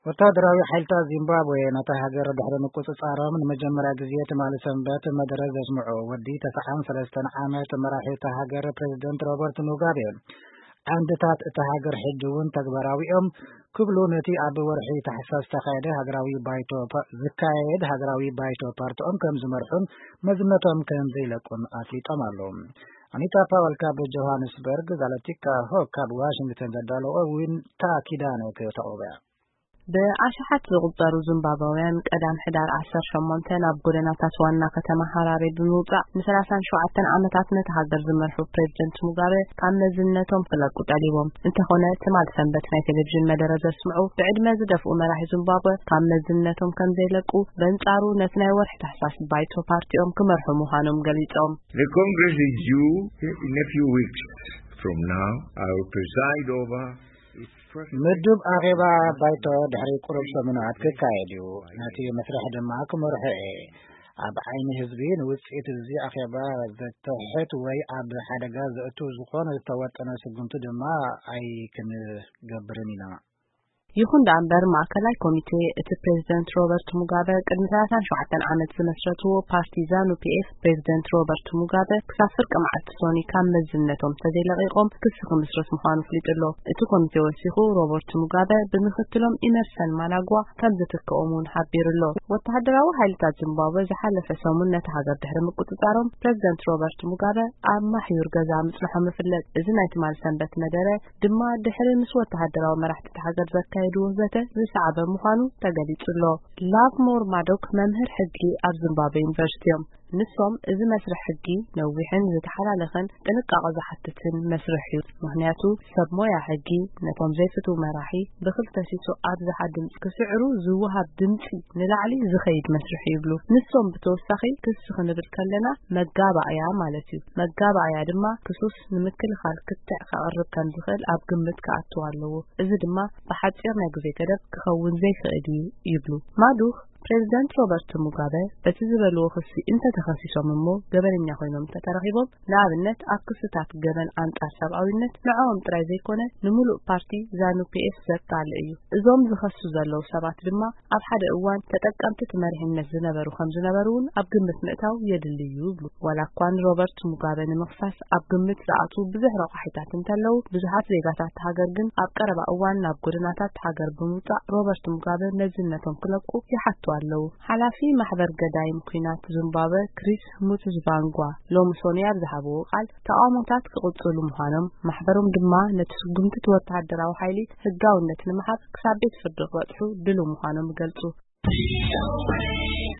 ወታደራዊ ሓይልታት ዚምባብዌ ነታ ሃገር ድሕሪ ምቁጽጻሮም ንመጀመርያ ግዜ ትማሊ ሰንበት መደረ ዘስምዑ ወዲ ተስዓን ሰለስተን ዓመት መራሒ እታ ሃገር ፕሬዚደንት ሮበርት ሙጋቤ፣ ዓንድታት እታ ሃገር ሕጂ እውን ተግባራዊ እዮም ክብሉ ነቲ ኣብ ወርሒ ታሕሳስ ዝተኻየደ ሃገራዊ ባይቶ ፓ-፣ ዝካየድ ሃገራዊ ባይቶ ፓርቲኦም ከም ዝመርሑን መዝነቶም ከም ዘይለቁን ኣፍሊጦም ኣለዉ። ኣኒታ ፓወል ካብ ጆሃንስበርግ፣ ዛለቲካ ሆክ ካብ ዋሽንግተን ዘዳለዎ ዊንታ ኪዳነ ከተቕርቦ እያ። ብኣሽሓት ዝቑጸሩ ዚምባብያውያን ቀዳም ሕዳር ዓሰርተ ሸሞንተ ናብ ጎደናታት ዋና ከተማ ሃራሬ ብምውጻእ፣ ንሰላሳን ሸውዓተን ዓመታት ነቲ ሃገር ዝመርሑ ፕሬዚደንት ሙጋበ ካብ መዝነቶም ክለቁ ጠሊቦም። እንተኾነ፣ ትማል ሰንበት ናይ ቴሌቪዥን መደረ ዘስምዑ ብዕድመ ዝደፍኡ መራሒ ዚምባብወ ካብ መዝነቶም ከም ዘይለቁ፣ በንጻሩ ነቲ ናይ ወርሒ ታሕሳስ ባይቶ ፓርቲኦም ክመርሑ ምዃኖም ገሊጾም። The Congress is due in a few weeks from now. I will preside over its first ምድብ ኣኼባ ባይቶ ድሕሪ ቁሩብ ሰሙናት ክካየድ እዩ። ነቲ መስርሕ ድማ ክመርሖ እየ። ኣብ ዓይኒ ህዝቢ ንውጽኢት እዚ ኣኼባ ዘትሕት ወይ ኣብ ሓደጋ ዘእቱ ዝኾነ ዝተወጠነ ስጉምቲ ድማ ኣይክንገብርን ኢና። ይኹን ደኣ እምበር፣ ማእከላይ ኮሚቴ እቲ ፕሬዚደንት ሮበርት ሙጋበ ቅድሚ ሰላሳን ሸውዓተን ዓመት ዝመስረትዎ ፓርቲ ዛኑ ፒ ኤፍ፣ ፕሬዚደንት ሮበርት ሙጋበ ክሳብ ፍርቂ መዓልቲ ሶኒ ካብ መዝነቶም ተዘይለቒቖም ክሲ ክምስርት ምዃኑ ኣፍሊጡ ኣሎ። እቲ ኮሚቴ ወሲኹ፣ ሮበርት ሙጋበ ብምክትሎም ኢመርሰን ማናግዋ ከም ዝትክኦም እውን ሓቢሩ ኣሎ። ወተሃደራዊ ሓይልታት ዚምባብወ ዝሓለፈ ሰሙን ነቲ ሃገር ድሕሪ ምቁጽጻሮም፣ ፕሬዚደንት ሮበርት ሙጋበ ኣብ ማሕዩር ገዛ ምጽንሖም ይፍለጥ። እዚ ናይ ትማል ሰንበት መደረ ድማ ድሕሪ ምስ ወተሃደራዊ መራሕቲ እታ ሃገር ዘካየድዎ ዘተ ዝሰዓበ ምዃኑ ተገሊጹ ኣሎ። ላቭሞር ማዶክ መምህር ሕጊ ኣብ ዚምባብወ ዩኒቨርሲቲ እዮም። ንሶም፣ "እዚ መስርሕ ሕጊ ነዊሕን ዝተሓላለኸን ጥንቃቐ ዝሓትትን መስርሕ እዩ፣ ምኽንያቱ ሰብ ሞያ ሕጊ ነቶም ዘይፍትው መራሒ ብክልተ ሲሶ ኣብዝሓ ድምፂ ክስዕሩ ዝወሃብ ድምፂ ንላዕሊ ዝኸይድ መስርሕ እዩ" ይብሉ። ንሶም ብተወሳኺ፣ "ክሲ ክንብል ከለና መጋባእያ ማለት እዩ። መጋባእያ ድማ ክሱስ ንምክልኻል ክትዕ ከቕርብ ከም ዝኽእል ኣብ ግምት ክኣትው ኣለዎ። እዚ ድማ ብሓጺር ናይ ግዜ ገደብ ክኸውን ዘይክእል እዩ" ይብሉ። ማዱኽ፣ ፕሬዚደንት ሮበርት ሙጋበ በቲ ዝበልዎ ክሲ እንተተኸሲሶም እሞ ገበነኛ ኮይኖም እንተተረኺቦም፣ ንኣብነት ኣብ ክስታት ገበን ኣንጻር ሰብኣዊነት፣ ንዕኦም ጥራይ ዘይኮነ ንምሉእ ፓርቲ ዛኑ ፒ ኤፍ ዘቃልዕ እዩ። እዞም ዝኸሱ ዘለዉ ሰባት ድማ ኣብ ሓደ እዋን ተጠቀምቲ እቲ መሪሕነት ዝነበሩ ከም ዝነበሩ እውን ኣብ ግምት ምእታው የድሊ እዩ ይብሉ። ዋላ እኳ ንሮበርት ሙጋበ ንምኽሳስ ኣብ ግምት ዝኣትዉ ብዙሕ ረቋሒታት እንተለዉ፣ ብዙሓት ዜጋታት ሃገር ግን ኣብ ቀረባ እዋን ናብ ጎደናታት ሃገር ብምውጻእ ሮበርት ሙጋበ መዝነቶም ክለቁ ይሓቱ ኣለዉ። ሓላፊ ማሕበር ገዳይም ኲናት ዚምባብወ ክሪስ ሙትዝቫንጓ ሎሚ ሶኒ ኣብ ዝሃብዎ ቃል፣ ተቓውሞታት ክቕጽሉ ምዃኖም፣ ማሕበሮም ድማ ነቲ ስጉምቲ እቲ ወተሃደራዊ ሓይሊ ህጋውነት ንምሃብ ክሳብ ቤት ፍርዲ ክበጽሑ ድሉው ምዃኖም ይገልጹ።